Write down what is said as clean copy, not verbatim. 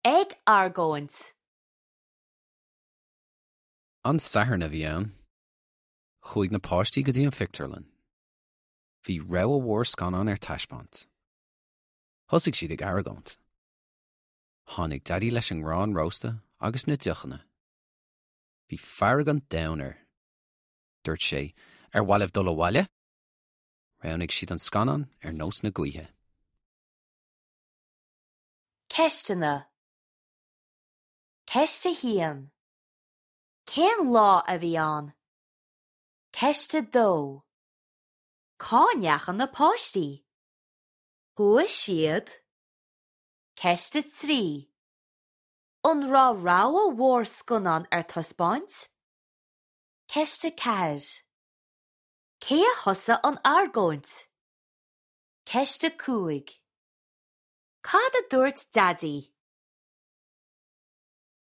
Ag argóint. An Satharn a bhí ann. Chuaigh na páistí go dtí an phictiúrlann. Bhí rogha mhór scannán ar taispeáint. Thosaigh siad ag argóint. Tháinig Daidí leis an ngrán rósta agus na deochanna. Bhí fearg an domhain air. Dúirt sé, Ar mhaith libh dul abhaile? Roghnaigh siad an scannán ar nós na gaoithe. Ceisteanna. Ceist 1. Cén lá a bhí ann? Ceist 2. Cá ndeachaigh na páistí? Chuaigh siad. Ceist 3. An raibh rogha mhór scannán ar taispeáint? Ceist 4. Cé a thosaigh an argóint? Ceist 5. Cad a dúirt Daidí?